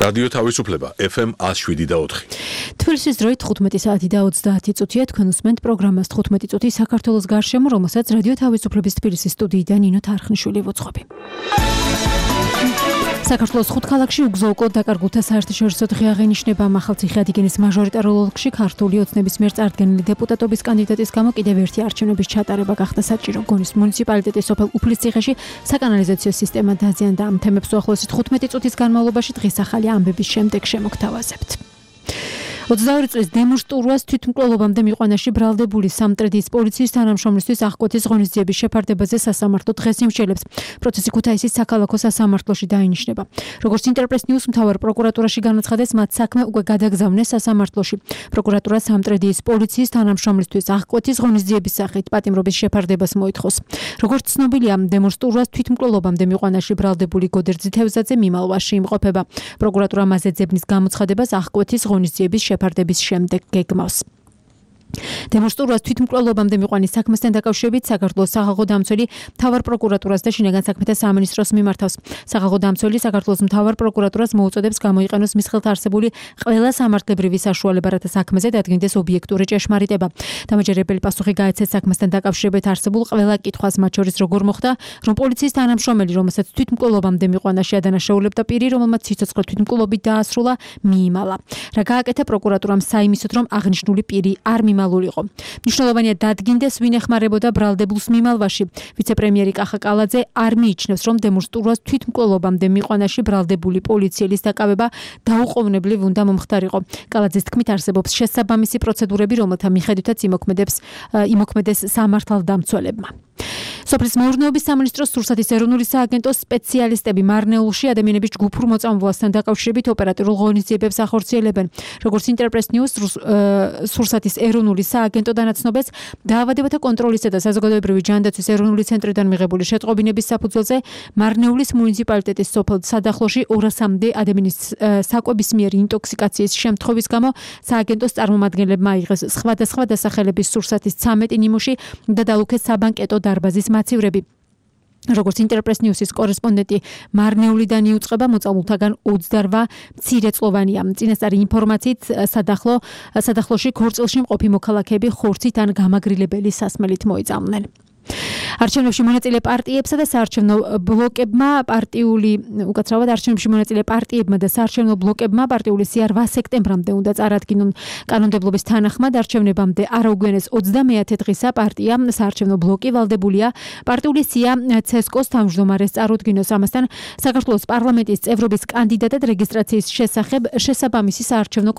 რადიო თავისუფლება FM 107.4. თბილისის დროით 15 საათი და 30 წუთია. თქვენ უსმენთ პროგრამას 15 წუთი საქართველოს გარშემო, რომელსაც რადიო თავისუფლების თბილისის სტუდიიდან ნინო თარხნიშვილი ვუძღვები. საქართველოს 5 ქალაქში უგზო-უკვლოდ დაკარგულთა საერთაშორისო დღე აღინიშნება. მახალციხე ადიგენის მაჟორიტარულ ოლქში ქართული ოცნების მიერ წარდგენილი დეპუტატობის კანდიდატის გამო კიდევ ერთი არჩევნების ჩატარება გახდა საჭირო. გონის მუნიციპალიტეტის სოფელ უფლისციხეში საკანალიზაციო სისტემა დაზიანდა. ამ თემებს უახლოესი 15 წუთის განმავლობაში დღის ახალი ამბების შემდეგ შემოგთავაზებთ. 22 წლის დემონსტრაციას თვითმკვლელობამდე მიყვანაში ბრალდებული სამტრედიის პოლიციის თანამშრომლისთვის აღკვეთის ღონისძიების შეფარდებაზე სასამართლო დღეს იმსჯელებს. პროცესი ქუთაისის საქალაქო სასამართლოში დაინიშნება. როგორც ინტერპრეს ნიუს მთავარ პროკურატურაში განაცხადეს, მათ საქმე უკვე გადაგზავნეს სასამართლოში. პროკურატურა სამტრედიის პოლიციის თანამშრომლისთვის აღკვეთის ღონისძიების სახით პატიმრობის შეფარდებას მოითხოვს. როგორც ცნობილია, დემონსტრაციას თვითმკვლელობამდე მიყვანაში ბრალდებული გოდერძ თევზაძე მიმალვაში იმყოფება. პროკურატურა მასზე ძებნის გამოცხადებას აღკვეთის ღონისძიების შეფარდების შემდეგ გეგმავს. დემონსტრაციას თვითმკვლელობამდე მიყვანის საქმესთან დაკავშირებით საქართველოს სახალხო დამცველი მთავარ პროკურატურას და შინაგან საქმეთა სამინისტროს მიმართავს. სახალხო დამცველი საქართველოს მთავარ პროკურატურას მოუწოდებს გამოიყენოს მის ხელთ არსებული ყველა სამართლებრივი საშუალება, რათა საქმეზე დადგინდეს ობიექტური ჭეშმარიტება. დამაჯერებელი პასუხი გაეცეს საქმესთან დაკავშირებით არსებულ ყველა კითხვას, მათ შორის როგორ მოხდა, რომ პოლიციის თანამშრომელი, რომელსაც თვითმკვლელობამდე მიყვანაში ადანაშაულებდა პირი, რომელმაც სიცოცხლე თვითმკვლელობით დაასრულა, მიიმალა. რა გააკეთა პროკურატურამ საიმისოდ, რომ აღნიშნული პირი არ მალულიყო. მნიშვნელოვანია დადგინდეს, ვინ ეხმარებოდა ბრალდებულს მიმალვაში. ვიცე-პრემიერი კახა კალაძე არ მიიჩნევს, რომ დემონსტრაციას თვითმკვლელობამდე მიყვანაში ბრალდებული პოლიციელის დაკავება დაუყოვნებლივ უნდა მომხდარიყო. კალაძეს თქმით, არსებობს შესაბამისი პროცედურები, რომელთა მიხედვითაც იმოქმედეს სამართალდამცველებმა. სოფლის მეურნეობის სამინისტროს სურსათის ეროვნული სააგენტოს სპეციალისტები მარნეულში ადამიანების ჯგუფურ მოწამვლასთან დაკავშირებით ოპერატიულ ღონისძიებებს ახორციელებენ. როგორც ინტერპრეს ნიუს სურსათის ეროვნული სააგენტო დანაცნობებს, დაავადებათა კონტროლისა და საზოგადოებრივი ჯანდაცვის ეროვნული ცენტრიდან მიღებული შეტყობინების საფუძველზე მარნეულის მუნიციპალიტეტის სოფელ სადახლოში 200-მდე ადამიანის საკვების მიერ ინტოქსიკაციის შემთხვევის გამო სააგენტოს წარმომადგენლებმა აიღეს სხვადასხვა დასახელების სურსათის 13 ნიმუში და დაუქეს საბანკეტო დარბაზის მაცივრები. როგორც ინტერპრეს ნიუსის კორესპონდენტი მარნეულიდან იუწყება, მოწამულთაგან 28 მცირეწლოვანია. წინასწარი ინფორმაციით სადახლოში ქორწილში მყოფი მოქალაქეები ხორცით ან გამაგრილებელი სასმელით მოიწამნენ. არჩევნებში მონაწილე პარტიებსა და საარჩევნო ბლოკებმა და საარჩევნო ბლოკებმა პარტიული სია 8 სექტემბრამდე უნდა წარადგინონ. კანონმდებლობის თანახმად არჩევნებამდე არაუგვიანეს 29 დღისა პარტია საარჩევნო ბლოკი ვალდებულია პარტიული სია ცესკოს თავმჯდომარეს წარუდგინოს. ამასთან საქართველოს პარლამენტის წევრობის კანდიდატად რეგისტრაციის შესახებ შესაბამისი საარჩევნო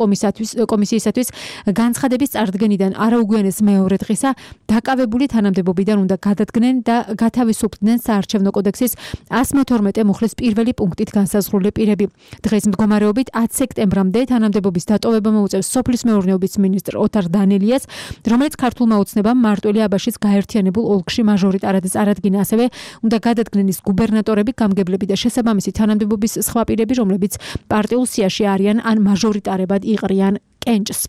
კომისიისათვის განცხადების წარდგენიდან არაუგვიანეს მეორე დღისა დაკავებული თანამდებობიდან უნდა გადადგნენ და გათავისუფლდნენ საარჩევნო კოდექსის 112 მუხლის პირველი პუნქტით განსაზღვრული პირები. დღეს მდგომარეობით 10 სექტემბრამდე თანამდებობის დატოვება მოუწევს სოფლის მეურნეობის მინისტრ ოთარ დანელიას, რომელიც ქართულმა ოცნებამ მარტველი აბაშის გაერთიანებულ ოლქში მაჟორიტარად წარადგინა. ასევე უნდა გადადგნენ ის გუბერნატორები, გამგებლები და შესაბამისი თანამდებობის სხვა პირები, რომლებიც პარტიულ სიაში არიან ან მაჟორიტარებად იყრიან კენჭს.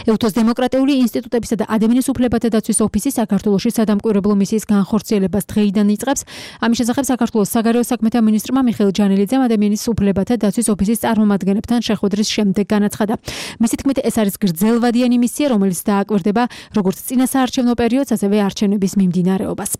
ეუთოს დემოკრატიული ინსტიტუტებისა და ადამიანის უფლებათა დაცვის ოფისი საქართველოში სადამკვირვებლო მისიის განხორციელებას დღეიდან იწყებს. ამის შესახებ საქართველოს საგარეო საქმეთა მინისტრმა მიხეილ ჯანელიძემ ადამიანის უფლებათა დაცვის ოფისის წარმომადგენლებთან შეხვედრის შემდეგ განაცხადა. მისი თქმით, ეს არის გრძელვადიანი მისია, რომელიც დააკვირდება როგორც წინა საარჩევნო პერიოდს, ასევე არჩევნების მიმდინარეობას.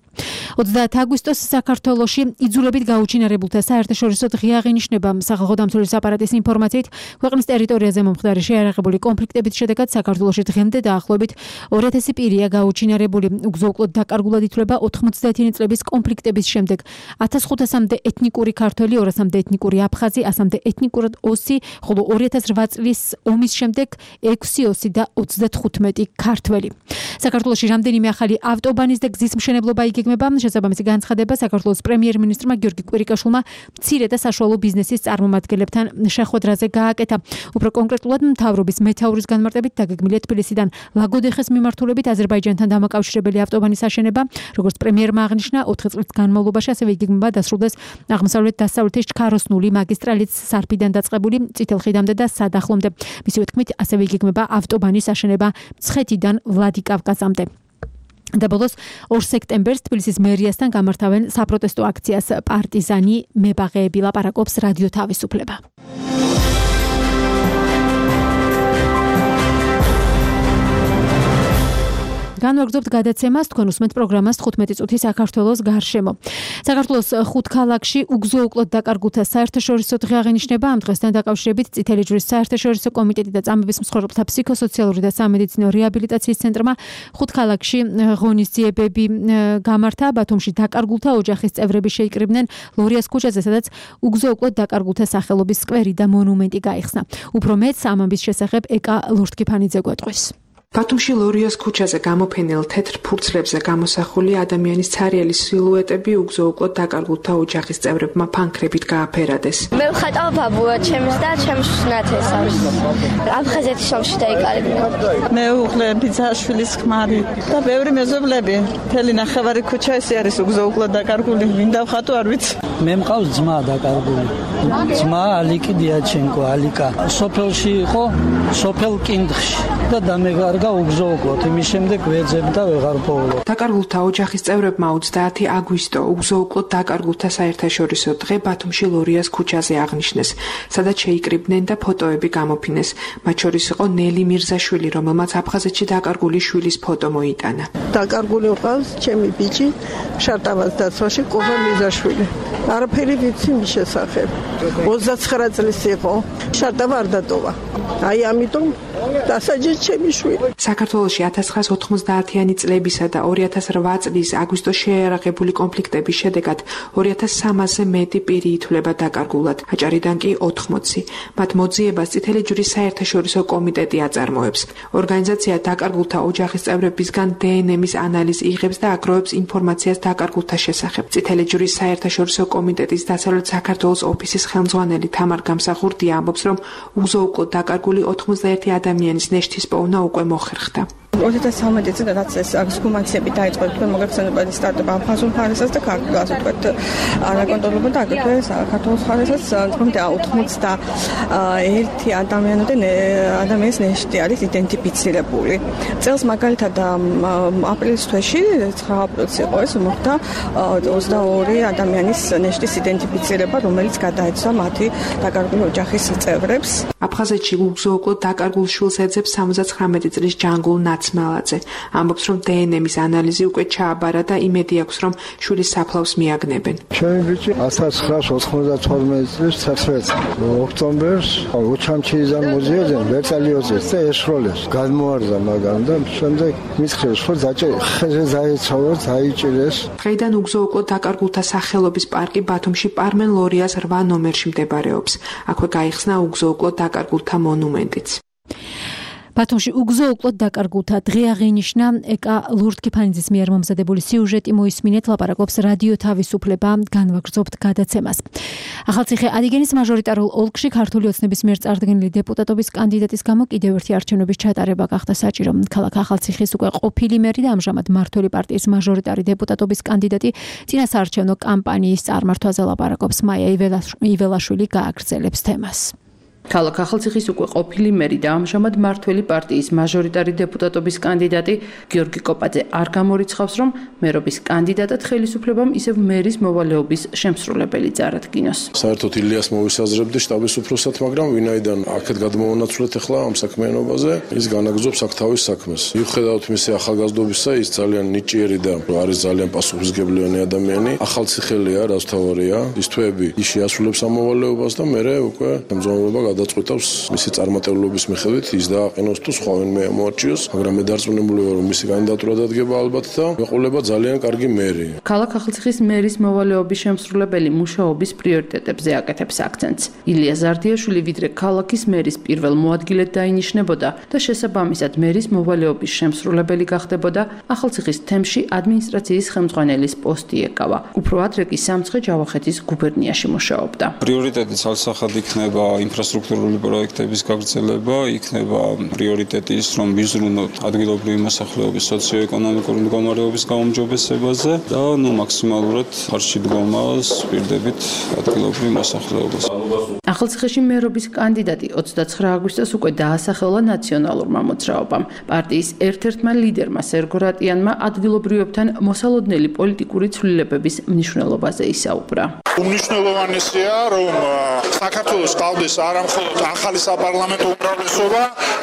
30 აგვისტოს საქართველოში იძულებით გაუჩინარებულთა საერთაშორისო დღე აღინიშნება. სახალხო დამცველის აპარატის ინფორმაციით, ქვეყნის ტერიტორიაზე მომხდარი შეიარაღებული კონფლიქტების შედეგად საქართველოში დღემდე დაახლოებით 2000 პირია გაუჩინარებული. უგზო-უკვლოდ დაკარგულად ითვლება 99 წლების კონფლიქტების შემდეგ 1500-მდე ეთნიკური ქართველი, 200-მდე ეთნიკური აფხაზი, 100-მდე ეთნიკური ოსი, ხოლო 2008 წლის ომის შემდეგ 6 ოსი და 35 ქართველი. საქართველოში რამდენიმე ახალი ავტობანის და გზის მშენებლობა იგეგმება. შესაბამისი განცხადება საქართველოს პრემიერ-მინისტრმა გიორგი კვირიკაშვილმა მცირე და საშუალო ბიზნესის წარმომადგენლებთან შეხვედრაზე გააკეთა. უფრო კონკრეტულად მთავრობის მეთაურის განმარტებით დაგეგმილია თბილისიდან ლაგოდეხეს მიმართულებით აზერბაიჯანთან დამაკავშირებელი ავტობანის აშენება. როგორც პრემიერმა აღნიშნა, 4 წლის განმავლობაში ასევე იგეგმება დასრულდეს აღმოსავლეთ-დასავლეთის ჩქაროსნული მაგისტრალით სარფიდან დაწყებული წითელხიდამდე და სადახლომდე. მისივე თქმით, ასევე იგეგმება ავტობანის აშენება მცხეთიდან ვლადიკავკაზამდე. და ბოლოს 2 სექტემბერს თბილისის მერიასთან გამართავენ საპროტესტო აქციას პარტიზანი მებაღეები. ლაპარაკობს რადიო თავისუფლება. განვაგრძობთ გადაცემას, თქვენ უსმენთ პროგრამას 15 წუთი საქართველოს გარშემო. საქართველოს 5 ქალაქში უგზო-უკლოდ დაკარგულთა საერთაშორისო დღე აღინიშნება. ამ დღესთან დაკავშირებით წითელი ჯვრის საერთაშორისო კომიტეტი და წამების მსხვერპლთა ფსიქოსოციალური და სამედიცინო რეაბილიტაციის ცენტრმა 5 ქალაქში ღონისძიებები გამართა. ბათუმში დაკარგულთა ოჯახის წევრები შეიკრიბნენ ლორიას ქუჩაზე, სადაც უგზო-უკლოდ დაკარგულთა სახელობის სკვერი და მონუმენტი გაიხსნა. უფრო მეტს ამ ამბის შესახებ ეკა ლურთქიფანიძე გვეტყვის. ბათუმში ლორიას ქუჩაზე გამოფენილ თეთრ ფურცლებზე გამოსახული ადამიანის ცარიელი სილუეტები უგზო-უკლოდ დაკარგულთა ოჯახის წევრებმა ფანქრებით გააფერადეს. მე ვხატავ ბაბუა ჩემს და ჩემს ნათესავს. აფხაზეთის ომში დაიკარგა. მე უღლე ბიძაშვილის ხმარი და ბევრი მეზობლები. მთელი ნახევარი ქუჩა ეს არის უგზო-უკლოდ დაკარგული. მინდა ვხატო არ ვიცი. მე მყავს ძმა დაკარგული. ძმა ალიკი დიაჩენკო, ალიკა. სოფელში იყო, სოფელ კინდხში და დამეგარგა უგზო-უკლოდ, იმის შემდეგ ვეძებ და ვეღარ პოულობ. დაკარგულთა ოჯახის წევრებმა 30 აგვისტო უგზო-უკლოდ დაკარგულთა საერთაშორისო დღე ბათუმში ლორიას ქუჩაზე აღნიშნეს, სადაც შეიკრიბნენ და ფოტოები გამოფინეს. მათ შორის იყო ნელი მირზაშვილი, რომელმაც აფხაზეთში დაკარგული შვილის ფოტო მოიტანა. დაკარგული ყავს ჩემი ბიჭი, შარტავას დაცვაში კობა მირზაშვილი. არაფერი ვიცი მის შესახებ. 29 წლის იყო, შარტავა არ დატოვა. აი ამიტომ დასაჯეს ჩემი შვილი. საქართველოში 1990-იანი წლებისა და 2008 წლის აგვისტოს შეიარაღებული კონფლიქტების შედეგად 2300-ზე მეტი პირი ითვლება დაკარგულად, აჭარიდან კი 80. მათ მოძიებას წითელი ჯვრის საერთაშორისო კომიტეტი აწარმოებს. ორგანიზაცია დაკარგულთა ოჯახის წევრებისგან დნმ-ის ანალიზს იღებს და აგროვებს ინფორმაციას დაკარგულთა შესახებ. წითელი ჯვრის საერთაშორისო კომიტეტის დასავლეთ საქართველოს ოფისის ხელმძღვანელი თამარ გამსახურდია ამბობს, რომ უგზო-უკლოდ დაკარგული 91 ადამიანის ნეშთის პოვნა უკვე მოხერხდა. 2013 წელს რაც ეს ექსჰუმაციები დაიწყო, თქვენ მოგეხსენებათ სტარტაპ აფხაზურ მხარესაც და ქართულ ასე ვთქვათ არაკონტროლებულ და აგრეთვე საქართველოს მხარესაც თუმცა 91 ადამიანის ნეშტი არის იდენტიფიცირებული. წელს მაგალითად აპრილის თვეში 9 აპრილს იყო ეს მოხდა 22 ადამიანის ნეშტის იდენტიფიცირება, რომელიც გადაეცვა მათი დაკარგული ოჯახის წევრებს. აფხაზეთში უგზო-უკლოდ დაკარგულ შვილს ეძებს 79 წლის ჯანგულ ნაცმალაძე. ამბობს, რომ დნმ-ის ანალიზი უკვე ჩააბარა და იმედი აქვს, რომ შვილის საფლავს მიაგნებენ. ჩემი ბიჭი 1992 წლის 19 ოქტომბერს უჩამჩიიდან მოზიოდნენ ვერტალიოძეს და ეშროლეს. გადმოარდა მაგამ და შემდეგ მისხრეს, რომ ხეზე დაეცავოთ, დაიჭირეს. დღეიდან უგზო-უკლოდ დაკარგულთა სახელობის პარკი ბათუმში პარმენ ლორიას 8 ნომერში მდებარეობს. აქვე გაიხსნა უგზო-უკლოდ დაკარგულთა მონუმენტიც. ბათუმში უგზო-უკლოდ დაკარგულთა დღე აღინიშნა. ეკა ლურთქიფანიძის მიერ მომზადებული სიუჟეტი მოისმინეთ, ლაპარაკობს რადიო თავისუფლება, განვაგრძობთ გადაცემას. ახალციხე ადიგენის მაჟორიტარულ ოლქში ქართული ოცნების მიერ წარდგენილი დეპუტატობის კანდიდატის გამო კიდევ ერთი არჩევნების ჩატარება გახდა საჭირო. ქალაქ ახალციხის უკვე ყოფილი მერი და ამჟამად მმართველი პარტიის მაჟორიტარი დეპუტატობის კანდიდატი წინასაარჩევნო კამპანიის წარმართვაზე ლაპარაკობს. მაია იველაშვილი გააგრძელებს თემას. ქალაქ ახალციხის უკვე ყოფილი მერი და ამჟამად მმართველი პარტიის მაჟორიტარი დეპუტატობის კანდიდატი გიორგი კოპაძე არ გამორიცხავს, რომ მერობის კანდიდატად ხელისუფლებამ ისევ მერის მოვალეობის შემსრულებელი წარადგინოს. საერთოდ ილიას მოვისაზრებდი შტაბის უფროსად, მაგრამ ვინაიდან აქეთ გადმოვანაცვლეთ ახლა ამ საქმიანობაზე, ის განაგრძობს აქ თავის საქმეს. მიუხედავად მისი ახალგაზრდობისა, ის ძალიან ნიჭიერი და არის ძალიან პასუხისმგებლიანი ადამიანი. ახალციხელია, რაც თავარია, ის თვეები ის შეასრულებს ამ მოვალეობას და მერე უკვე ხელმძღვანელობა გადაწყვეტავს მისი წარმატებლობის მიხედვით ის დააყენოს თუ სხვა ვინმე ამოარჩიოს, მაგრამ მე დარწმუნებული ვარ, რომ მისი კანდიდატურა დადგება ალბათ და მეყოლება ძალიან კარგი მერი. ქალაქ ახალციხის მერის მოვალეობის შემსრულებელი მუშაობის პრიორიტეტებზე აკეთებს აქცენტს. ილია ზარდიაშვილი ვიდრე ქალაქის მერის პირველ მოადგილედ დაინიშნებოდა და შესაბამისად მერის მოვალეობის შემსრულებელი გახდებოდა, ახალციხის თემში ადმინისტრაციის ხელმძღვანელის პოსტი ეკავა. უფრო ადრე კი სამცხე ჯავახეთის გუბერნიაში მუშაობდა. პრიორიტეტი ცალსახად იქნება ინფრასტრუქტურული პროექტების გაგრძელება, იქნება პრიორიტეტი ის, რომ ვიზრუნოთ ადგილობრივი მოსახლეობის სოციო-ეკონომიკური მდგომარეობის გაუმჯობესებაზე და მაქსიმალურად ხარჯში დგომას ვპირდებით ადგილობრივ მოსახლეობას. ახალციხეში მერობის კანდიდატი 29 აგვისტოს უკვე დაასახელა ნაციონალურმა მოძრაობამ. პარტიის ერთ-ერთმა ლიდერმა სერგო რატიანმა ადგილობრივებთან მოსალოდნელი პოლიტიკური ცვლილებების მნიშვნელობაზე ისაუბრა. უმნიშვნელოვანესია, რომ საქართველოს ყავდეს არა მხოლოდ ახალი საპარლამენტო უმრავლესობა,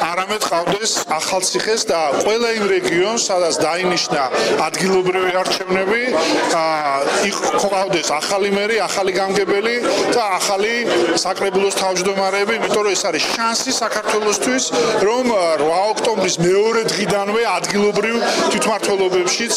არამედ ყავდეს ახალციხეს და ყველა იმ რეგიონს, სადაც დაინიშნა ადგილობრივი არჩევნები, ყავდეს ახალი მერი, ახალი გამგებელი და ახალი საკრებულოს თავმჯდომარეები, იმიტომ რომ ეს არის შანსი საქართველოსთვის, რომ 8 ოქტომბრის მეორე დღიდანვე ადგილობრივ თვითმმართველობებშიც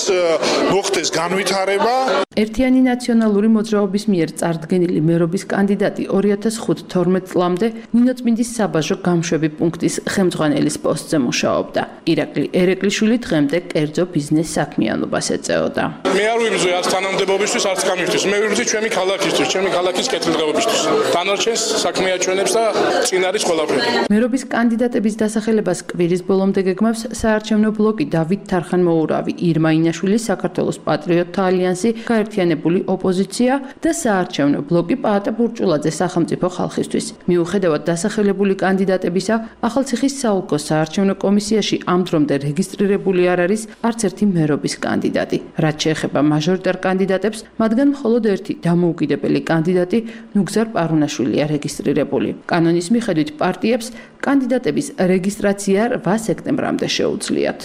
მოხდეს განვითარება. ერთიანი ნაციონალური მოძრაობის მიერ წარდგენილი მერობის კანდიდატი 2005-12 წლამდე ნინოწმინდის საბაჟო გამშვები პუნქტის ხელმძღვანელის პოსტზე მუშაობდა. ირაკლი ერეკლიშვილი დღემდე კერძო ბიზნეს საქმიანობას ეწეოდა. მე არ ვიბრძვი არც თანამდებობისთვის, არც კამისთვის. მე ვიბრძვი ჩემი ქალაქისთვის, ჩემი ქალაქის კეთილდღეობისთვის. დანარჩენს საქმეაჩვენებს და წინ არის ყველაფერი. მერობის კანდიდატების დასახელებას კვირის ბოლომდე გეგმავს საარჩევნო ბლოკი დავით თარხან-მოურავი, ირმა ინაშვილი, საქართველოს პატრიოტთა ალიანსი, გაერთიანებული ოპოზიცია და საარჩევნო ბლოკი პაატა ბურჭულაძე სახელმწიფო ხალხისთვის. მიუხედავად დასახელებული კანდიდატებისა, ახალციხის საოლქო საარჩევნო კომისიაში ამ დრომდე რეგისტრირებული არ არის არც ერთი მერობის კანდიდატი. რაც შეეხება მაჟორიტარ კანდიდატებს, მათგან მხოლოდ ერთი დამოუკიდებელი კანდიდატი ნუგზარ პარუნაშვილია რეგისტრირებული. კანონის მიხედვით პარტიებს კანდიდატების რეგისტრაცია 8 სექტემბრამდე შეუძლიათ.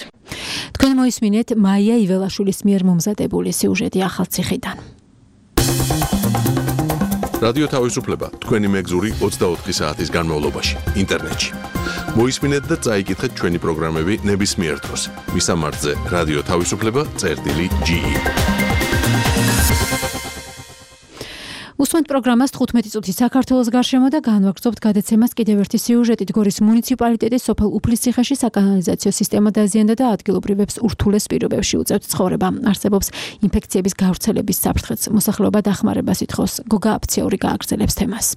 თქვენ მოისმინეთ მაია იველაშვილის მიერ მომზადებული სიუჟეტი ახალციხიდან. რადიო თავისუფლება თქვენი მეგზური 24 საათის განმავლობაში ინტერნეტში. მოისმინეთ და წაიკითხეთ ჩვენი პროგრამები ნებისმიერ დროს. მისამართზე რადიო თავისუფლება.ge. უსმენთ პროგრამას 15 წუთი საქართველოს გარშემო და განვაგრძობთ გადაცემას კიდევ ერთი სიუჟეტით. გორის მუნიციპალიტეტის სოფელ უფლისციხეში საკანალიზაციო სისტემა დაზიანდა და ადგილობრივებს ურთულეს პირობებში უწევთ ცხოვრება. არსებობს ინფექციების გავრცელების საფრთხეც. მოსახლეობა დახმარებას ითხოვს. გოგა აფციური გააგრძელებს თემას.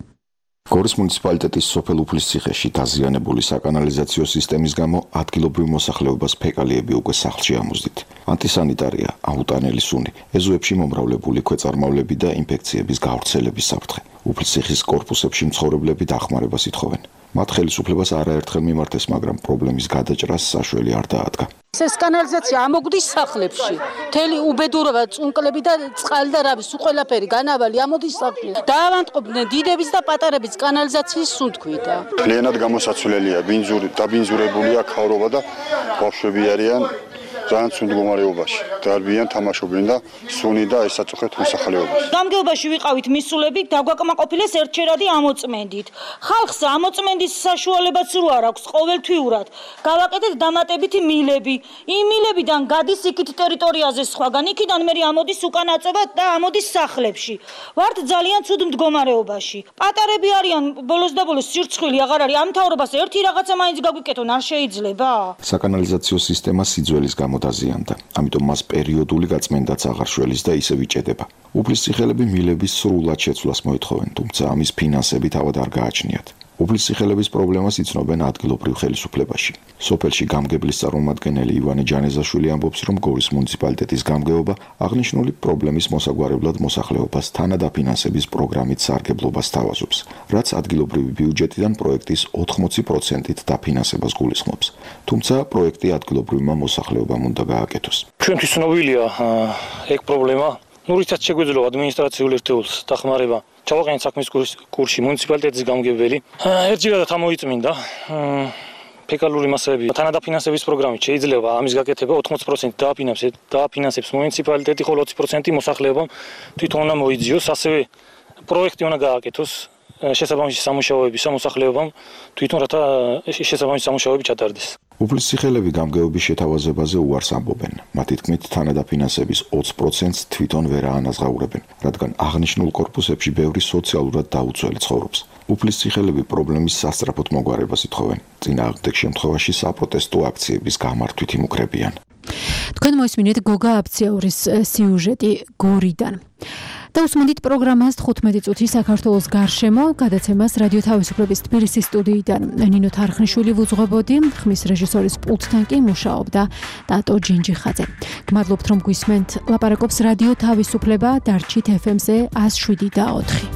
გორის მუნიციპალიტეტის სოფელ უფლისციხეში დაზიანებული საკანალიზაციო სისტემის გამო ადგილობრივ მოსახლეობას ფეკალიები უკვე სახლში ამოздით. ანტისანიტარია, აუტანელი სუნი, ეზოებში მომრავლებული ქვეწარმავლები და ინფექციების გავრცელების საფრთხე. უფლისციხის კორპუსებში მცხოვრებლები დახმარებას ითხოვენ. მათ ხელისუფლებას არაერთხელ მიმართეს, მაგრამ პრობლემის გადაჭრას საშველი არ დაადგა. ეს კანალიზაცია ამოგვდის სახლებში. მთელი უბედურობა, წუნკლები და წყალი და რავი, სულ ყველაფერი განავალი ამოდის სახლში. დაავადყოფდნენ დიდების და პატარების კანალიზაციის სუნთქვით. მთლიანად გამოსაცვლელია, დაბინძურებულია ქავრობა და ბავშვები არიან ძალიან ცუდ მდგომარეობაში. დარბიან, თამაშობენ და სუნი და ესაწუხეთ მოსახლეობას. გამგეობაში ვიყავით მისულები, დაგვაკმაყოფილეს ერთჩერადი ამოწმენდით. ხალხს ამოწმენდის საშუალებაც რო არ აქვს ყოველთვიურად. გავაკეთეთ დამატებითი მილები. იმ მილებიდან გადის იქით ტერიტორიაზე სხვაგან, იქიდან მე ამოდის უკან აწობა და ამოდის სახლებში. ვართ ძალიან ცუდ მდგომარეობაში. პატარები არიან ბოლოს და ბოლოს სირცხვილი აღარ არის. ამ მთავრობას ერთი რაღაცა მაინც გაგვიკეთონ არ შეიძლება? საკანალიზაციო სისტემა სიძველის გამო დაზიანდა, ამიტომ მას პერიოდული გაწმენდაც აღარ შველის და ისევ იჭედება. უფლისციხელები მილების სრულად შეცვლას მოითხოვენ, თუმცა ამის ფინანსები თავად არ გააჩნიათ. უფლისციხელების პრობლემას იცნობენ ადგილობრივ ხელისუფლებაში. სოფელში გამგებლის წარმომადგენელი ივანე ჯანეზაშვილი ამბობს, რომ გორის მუნიციპალიტეტის გამგეობა აღნიშნული პრობლემის მოსაგვარებლად მოსახლეობას თანადაფინანსების პროგრამით სარგებლობას თავაზობს, რაც ადგილობრივი ბიუჯეტიდან პროექტის 80%-ით დაფინანსებას გულისხმობს. თუმცა პროექტი ადგილობრივმა მოსახლეობამ უნდა გააკეთოს. ჩვენთვის ცნობილია ეგ პრობლემა. რითაც შეგვეძლო ადმინისტრაციულ ერთეულს დახმარება. ჩავაყენეთ საქმის კურსში მუნიციპალიტეტის გამგებელი. ერთჯერადად ამოიწმინდა ფეკალური მასები თანადაფინანსების პროგრამით შეიძლება ამის გაკეთება 80% დააფინანსებს მუნიციპალიტეტი, ხოლო 20% მოსახლეობამ თვითონ უნდა მოიძიოს, ასევე პროექტი უნდა გააკეთოს შესაბამისი სამუშაოების მოსახლეობამ თვითონ რათა შესაბამისი სამუშაოები ჩატარდეს. უფლისციხელები გამგეობის შეთავაზებაზე უარს ამბობენ. მათი თქმით, თანადაფინანსების 20%-ს თვითონ ვერ აანაზღაურებენ, რადგან აღნიშნულ კორპუსებში ბევრი სოციალურად დაუცველი ცხოვრობს. უფლისციხელები პრობლემის სასწრაფოდ მოგვარებას ითხოვენ. წინააღმდეგ შემთხვევაში საპროტესტო აქციების გამართვით იმუქრებიან. თქვენ მოისმინეთ გოგა აფციაურის სიუჟეტი გორიდან. და უსმენთ პროგრამას 15 წუთი საქართველოს გარშემო გადაცემას რადიო თავისუფლების თბილისის სტუდიიდან ნინო თარხნიშვილი ვუძღვებოდი, ხმის რეჟისორის პულტთან კი მუშაობდა დატო ჯინჯიხაძე. გმადლობთ რომ გვისმენთ. ლაპარაკობს რადიო თავისუფლება დარჩით FM-ზე 107.4.